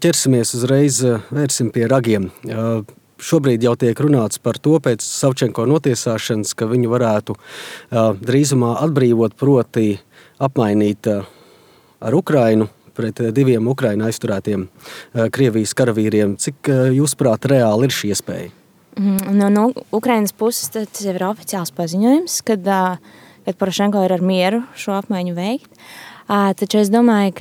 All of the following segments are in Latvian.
ķersimies uzreiz, vērsim pie ragiem. Šobrīd jau tiek runāts par to pēc Savčenko notiesāšanas, ka viņu varētu drīzumā atbrīvot, proti apmainīt ar Ukrainu pret 2 Ukraina aizturētiem Krievijas karavīriem. Cik jūsuprāt reāli ir šī iespēja? No Ukrainas puses tas jau ir oficiāls paziņojums, kad Porošenko ir ar mieru šo apmaiņu veikt. Taču es domāju,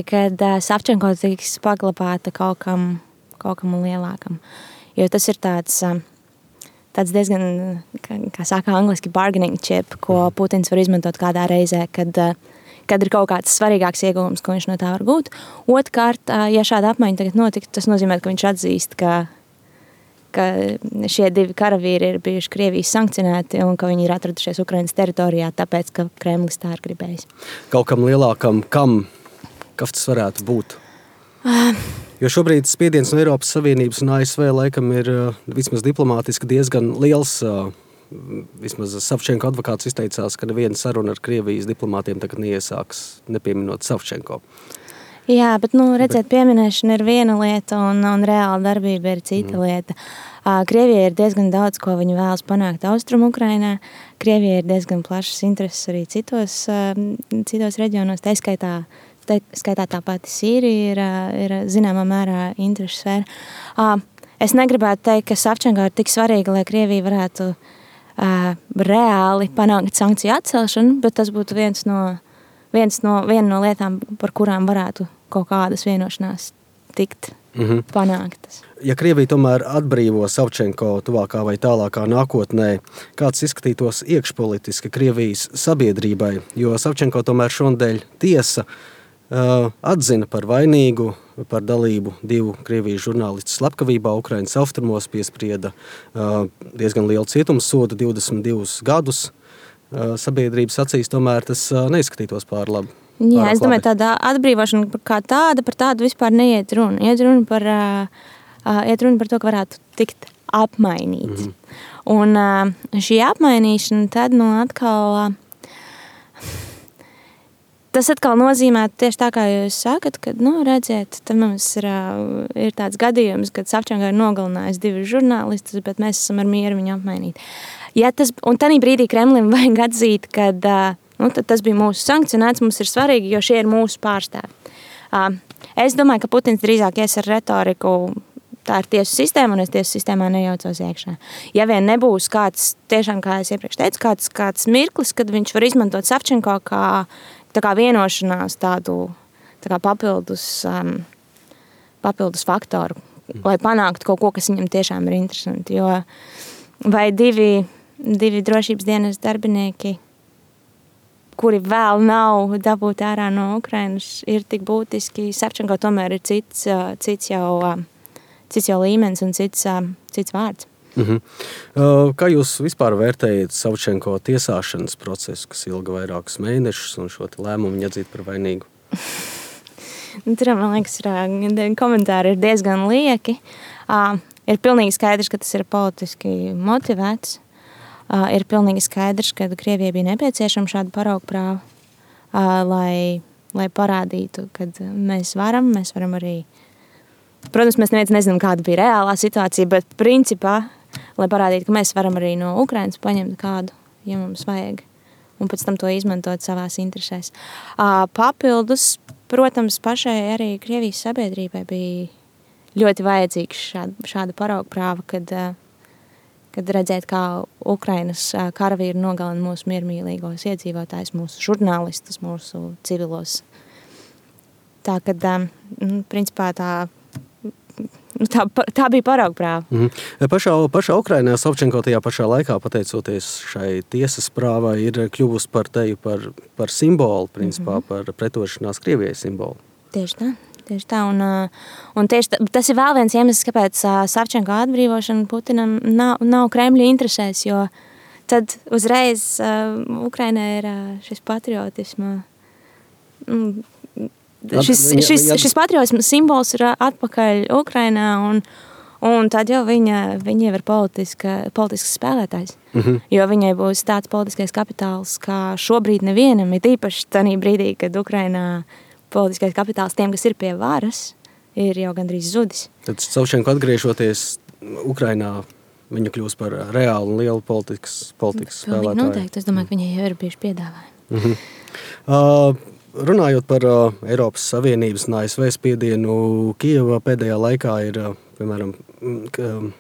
ka Savčenko tiks paglabāta kaut kam lielākam. Jo tas ir tāds diezgan, kā saka angliski, bargaining chip, ko Putins var izmantot kādā reizē, kad ir kaut kāds svarīgāks ieguvums, ko viņš no tā var gūt. Otrkārt, ja šāda apmaiņa tagad notiktu, tas nozīmē, ka viņš atzīst, ka šie 2 karavīri ir bijuši Krievijas sankcionēti un ka viņi ir atradušies Ukrainas teritorijā, tāpēc, ka Kremlis tā ir gribējis. Kaut kam lielākam, kas tas varētu būt? Jo šobrīd spiediens no Eiropas Savienības un ASV laikam ir vismaz diplomātiski diezgan liels. Vismaz Savčenko advokāts izteicās, ka neviena saruna ar Krievijas diplomātiem tagad neiesāks, nepieminot Savčenko. Jā, bet, redzēt, pieminēšana ir viena lieta un reāla darbība ir cita lieta. Krievijai ir diezgan daudz, ko viņi vēlas panākt Austrumu Ukrainā. Krievijai ir diezgan plašas intereses arī citos reģionos, tā skaitā tā pati Sīrija ir zināmā mērā interešu sfēra. Es negribētu teikt, ka Savčenko ir tik svarīga, lai Krievija varētu reāli panākt sankciju atcelšanu, bet tas būtu viena no lietām, par kurām varētu kaut kādas vienošanās tikt panāktas. Ja Krievija tomēr atbrīvo Savčenko tuvākā vai tālākā nākotnē, kāds izskatītos iekšpolitiski Krievijas sabiedrībai, jo Savčenko tomēr šonadēļ tiesa atzina par vainīgu par dalību 2 Krievijas žurnālistu slepkavībā Ukrainas austrumos, piesprieda diezgan lielu cietumsodu 22 gadus. Sabiedrības acīs tomēr tas neizskatītos pār labi. Jā, es domāju, tāda atbrīvošana kā tāda, par tādu vispār neiet runa. Iet runa par to, ka varētu tikt apmainīts. Un šī apmainīšana tad atkal... Tas atkal nozīmē tieši tā, kā jūs sakat, ka, redziet, tad mums ir tāds gadījums, kad Savčenko ir nogalinājis 2 žurnālistus, bet mēs esam ar mieru viņu apmainīt. Un tādā brīdī Kremlim vajag atzīt, ka tas bija mūsu sankcionēts, mums ir svarīgi, jo šie ir mūsu pārstāvi. Es domāju, ka Putins drīzāk ies ar retoriku, tā ir tiesu sistēma, un es tiesu sistēmā nejaucos iekšā. Ja vien nebūs kāds, tiešām, kā es iepriekš teicu, kāds mirklis, kad viņš var izmantot Savčenko kā vienošanās tādu papildus faktoru, lai panāktu kaut ko, kas viņam tiešām ir interesanti. Jo vai 2 drošības dienas darbinieki, kuri vēl nav dabūti ārā no Ukrainas, ir tik būtiski. Savčenko tomēr ir cits jau līmenis un cits vārds. Kā jūs vispār vērtējat Savčenko tiesāšanas procesu, kas ilga vairākus mēnešus un šo lēmumu viņa atzīt par vainīgu? Tur, man liekas, komentāri ir diezgan lieki. Ir pilnīgi skaidrs, ka tas ir politiski motivēts. Ir pilnīgi skaidrs, ka Krievijai bija nepieciešama šāda paraugprāva, lai parādītu, ka mēs varam arī... Protams, mēs neviens nezinām, kāda bija reālā situācija, bet principā, lai parādītu, ka mēs varam arī no Ukrainas paņemt kādu, ja mums vajag, un pēc tam to izmantot savās interesēs. Papildus, protams, pašai arī Krievijas sabiedrībai bija ļoti vajadzīgs šāda paraugprāva, kad redzēt, kā Ukrainas karavīri nogalina mūsu miermīlīgos iedzīvotājus, mūsu žurnālistus, mūsu civilos. Tā, kad, principā, tā bija paraugprāva. Pašā Ukrainā Savčenko tajā pašā laikā, pateicoties šai tiesas prāvai, ir kļuvusi par simbolu, principā, par pretošanās Krievijai simbolu. Tieši tā. Un tieši tas ir vēl viens iemesls, kāpēc Savčenko atbrīvošana Putinam nav Kremļa interesēs, jo tad uzreiz Ukrainā ir šis patriotisma... Šis patriotisma simbols ir atpakaļ Ukrainā, un tad jau viņa jau ir politisks spēlētājs. Jo viņai būs tāds politiskais kapitāls, kā šobrīd nevienam, ir īpaši tādā brīdī, kad Ukrainā politiskais kapitāls tiem, kas ir pie varas, ir jau gandrīz zudis. Tad Savčenko atgriežoties Ukrainā, viņa kļūs par reālu un lielu politikas spēlētāju. Noteikti, es domāju, ka viņai jau ir bijuši piedāvājumi. Runājot par Eiropas Savienības un ASV spiedienu, Kijevā pēdējā laikā ir, piemēram,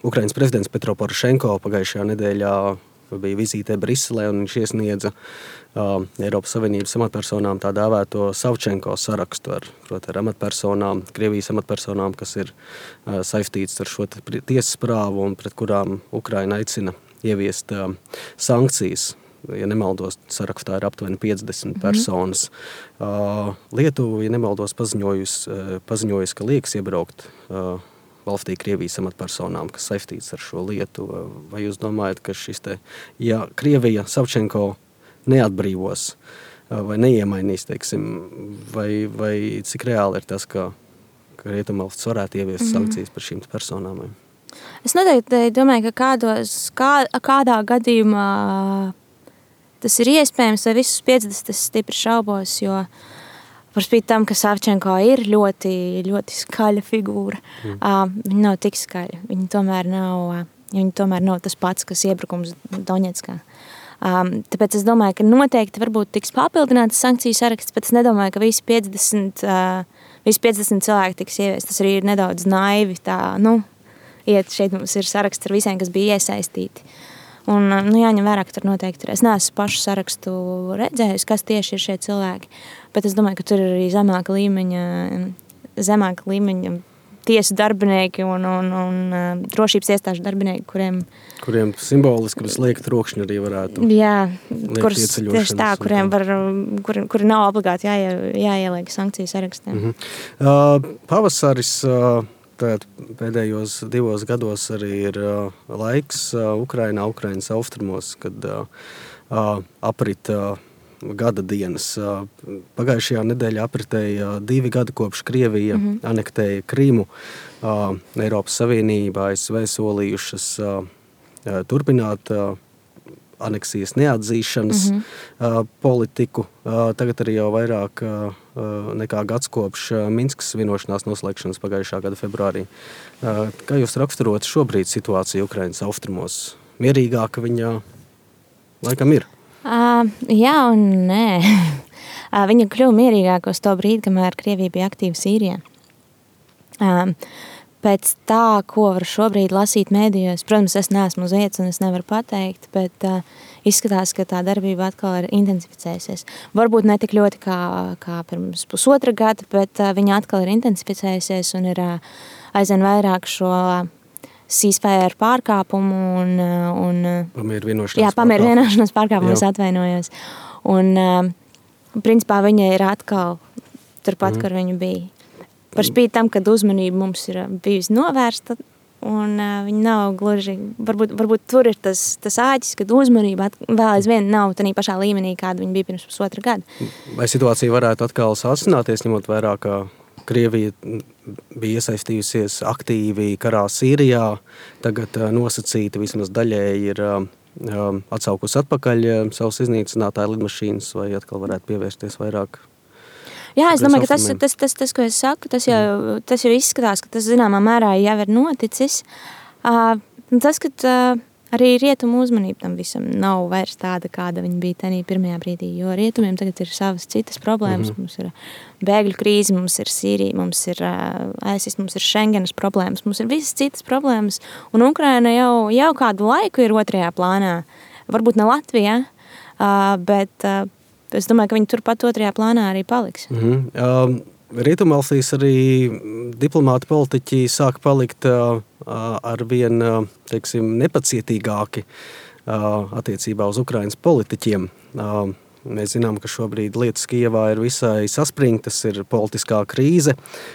Ukrainas prezidents Petro Porošenko pagājušajā nedēļā bija vizītē Briselē, un viņš iesniedza Eiropas Savienības amatpersonām tā dēvēto Savčenko sarakstu ar amatpersonām, Krievijas amatpersonām, kas ir saistīts ar šo tiesas prāvu un pret kurām Ukraina aicina ieviest sankcijas. Ja nemaldos, sarakstā ir aptuveni 50 personas. Lietuva, ja nemaldos, paziņojusi, ka liekas iebraukt valstī Krievijas amatpersonām, kas saistīts ar šo lietu. Vai jūs domājat, ka ja Krievija Savčenko neatbrīvos vai neiemainīs, teiksim, vai cik reāli ir tas, ka Rietumvalsts varētu ieviest sankcijas par šīm personām? Es noteikti domāju, ka kādā gadījumā tas ir iespējams, vai visus 50 es stipri šaubos, jo par spīti tam, ka Savčenko ir ļoti, ļoti skaļa figūra, viņa nav tik skaļa. Viņa tomēr nav tas pats, kas iebrukums Doņetskā. Tāpēc es domāju, ka noteikti varbūt tiks papildināts sankciju saraksts, bet es nedomāju, ka visi 50 cilvēki tiks ieviest. Tas arī ir nedaudz naivi. Šeit mums ir saraksts ar visiem, kas bija iesaistīti. Un jāņem vērā, ka tur noteikti ir. Es neesmu pašu sarakstu redzējusi, kas tieši ir šie cilvēki, bet es domāju, ka tur ir arī zemāka līmeņa tiesu darbinieki un drošības iestāžu darbinieki, kuriem simboliski visliek trokšņi arī varētu tieši tā, kuri nav obligāti jāieliek sankciju sarakstā. Pavasaris pēdējos 2 gados arī ir laiks Ukrainas austrumos, kad aprit gada dienas. Pagājušajā nedēļā apritēja 2 gadi kopš Krievija anektēja Krimu. Eiropas Savienībā ASV solījušas turpināt aneksijas neatzīšanas politiku. Tagad arī jau vairāk nekā gads kopš Minskas vienošanās noslēgšanas pagājušā gada februārī. Kā jūs raksturot šobrīd situāciju Ukrainas austrumos? Mierīgāka viņa laikam ir? Jā un nē. Viņa kļuva mierīgāka uz to brīdi, kamēr Krievija bija aktīva Sīrijā. Pēc tā, ko var šobrīd lasīt mēdījos, protams, es neesmu uz vietas un es nevaru pateikt, bet izskatās, ka tā darbība atkal ir intensificējusies. Varbūt ne tik ļoti kā pirms pusotra gada, bet viņa atkal ir intensificējusies un ir aizvien vairāk šo ceasefire pārkāpumu un pamieru vienošanās pārkāpumu, es atvainojos. Un principā viņa ir atkal turpat, kur viņa bija. Par spīti tam, kad uzmanība mums ir bijusi novērsta, un viņa nav gluži, varbūt tur ir tas āķis, kad uzmanība vēl aizvien nav tādā pašā līmenī, kāda viņa bija pirms pusotra gada. Vai situācija varētu atkal sāsināties, ņemot vērā, ka Krievija bija iesaistījusies aktīvi karā Sīrijā, tagad nosacīta vismaz daļēji ir atsaukusi atpakaļ savus iznīcinātāju lidmašīnas, vai atkal varētu pievērsties vairāk? Jā, es domāju, ka tas, ko es saku, tas jau izskatās, ka tas zināmā mērā jau ir noticis. Tas, ka arī rietumu uzmanība tam visam nav vairs tāda, kāda viņa bija tajā pirmajā brīdī, jo rietumiem tagad ir savas citas problēmas. Mums ir bēgļu krīze, mums ir Sīrija, mums ir ISIS, mums ir Schengenas problēmas, mums ir visas citas problēmas, un Ukraina jau kādu laiku ir otrajā plānā. Varbūt ne Latvijā, bet es domāju, ka viņi turpat otrajā plānā arī paliks. Rietumvalstīs arī diplomāti politiķi sāk palikt arvien, teiksim, nepacietīgāki attiecībā uz Ukrainas politiķiem. Mēs zinām, ka šobrīd lietas Kijevā ir visai saspringtas, ir politiskā krīze.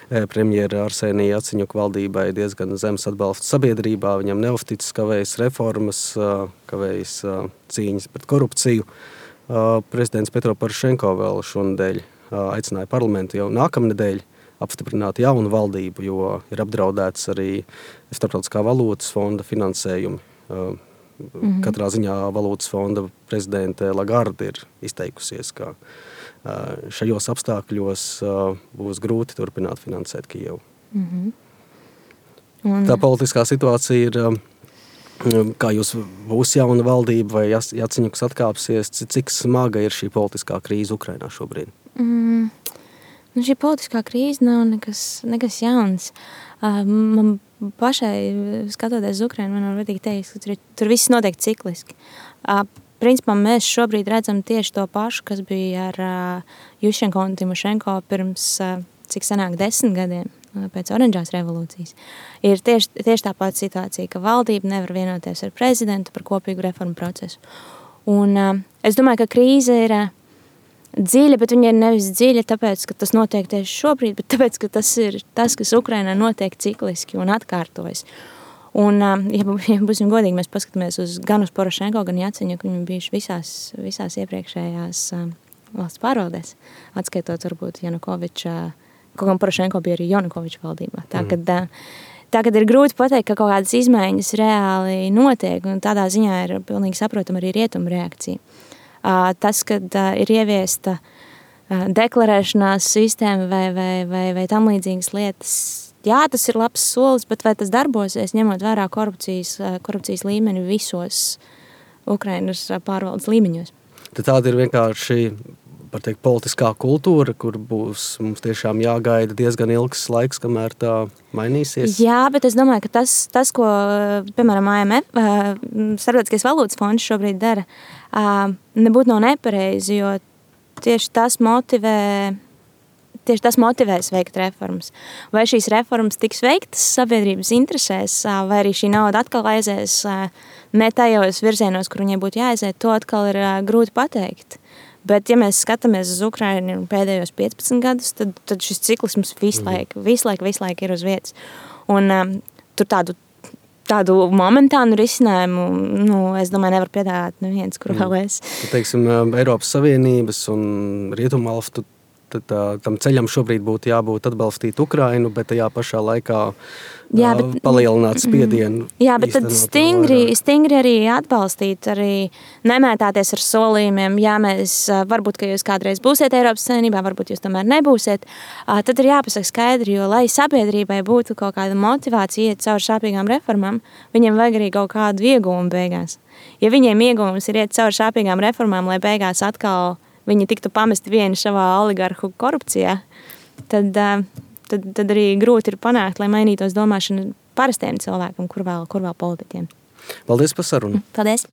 Premjera Arsenija Jaceņuka valdībai diezgan zems atbalsts sabiedrībā, viņam neuzticas, kavējas reformas, kavējas cīņas pret korupciju. Prezidents Petro Porošenko vēl šonedēļ aicināja parlamentu jau nākamnedēļ apstiprināt jaunu valdību, jo ir apdraudēts arī Starptautiskā valūtas fonda finansējumi. Katrā ziņā valūtas fonda prezidente Lagarde ir izteikusies, ka šajos apstākļos būs grūti turpināt finansēt Kijevu. Tā politiskā situācija ir, kā jūs būs jauna valdība vai Jaceņuks atkāpsies, cik smaga ir šī politiskā krīze Ukrainā šobrīd? Šī politiskā krīze nav nekas jauns. Man pašai, skatoties uz Ukrainu, man var teikt, ka tur viss notiek cikliski. Principā mēs šobrīd redzam tieši to pašu, kas bija ar Juščenko un Timošenko pirms, cik sanāk, 10 gadiem pēc oranžās revolūcijas. Ir tieši tā pati situācija, ka valdība nevar vienoties ar prezidentu par kopīgu reformu procesu. Un es domāju, ka krīze ir dziļa, bet viņa ir nevis dziļa, tāpēc, ka tas notiek tieši šobrīd, bet tāpēc, ka tas ir tas, kas Ukrainā notiek cikliski un atkārtojas. Un, ja būsim godīgi, mēs paskatāmies gan uz Porošenko, gan Jaceņuku, viņi bijuši visās iepriekšējās valsts pārvaldēs, atskaitot varbūt Janukoviča, kaut kā Porošenko bija arī Janukoviča valdībā. Tagad ir grūti pateikt, ka kaut kādas izmaiņas reāli notiek, un tādā ziņā ir pilnīgi saprotama arī rietumu reakcija. Tas, kad ir ieviesta deklarēšanās sistēma vai tam līdzīgas lietas, jā, tas ir labs solis, bet vai tas darbosies, ņemot vērā korupcijas līmeni visos Ukrainas pārvaldes līmeņos? Tad tāda ir vienkārši, var teikt, politiskā kultūra, kur būs mums tiešām jāgaida diezgan ilgs laiks, kamēr tā mainīsies? Jā, bet es domāju, ka tas ko, piemēram, AMF, Starptautiskais valūtas fonds šobrīd dara, nebūtu nav nepareizi, jo tieši tas motivēs veikt reformas. Vai šīs reformas tiks veiktas sabiedrības interesēs, vai arī šī nauda atkal aizies ne tajos virzienos, kur viņai būtu jāaiziet, to atkal ir grūti pateikt. Bet, ja mēs skatāmies uz Ukrainu pēdējos 15 gadus, tad šis cikls mums visu laiku ir uz vietas. Un tur tādu momentānu risinājumu, es domāju, nevar piedāvāt neviens, kur vēl es. Teiksim, Eiropas Savienības un Rietumvalstu tam ceļam šobrīd būtu jābūt atbalstīt Ukrainu, bet tajā pašā laikā palielināt spiedienu. Jā, bet tad stingri arī atbalstīt, arī nemētāties ar solījumiem. Jā, mēs, varbūt, ka jūs kādreiz būsiet Eiropas Savienībā, varbūt jūs tomēr nebūsiet. Tad ir jāpasaka skaidri, jo lai sabiedrībai būtu kaut kāda motivācija iet caur sāpīgām reformām, viņiem vajag arī kaut kādu iegūmu beigās. Ja viņiem iegūmus ir iet caur sāpīgām reformām, lai beigās atkal viņi tiktu pamesti vieni savā oligarhu korupcijā, tad arī grūti ir panākt, lai mainītos domāšana parastiem cilvēkam, kur vēl politiķiem. Paldies par sarunu. Paldies.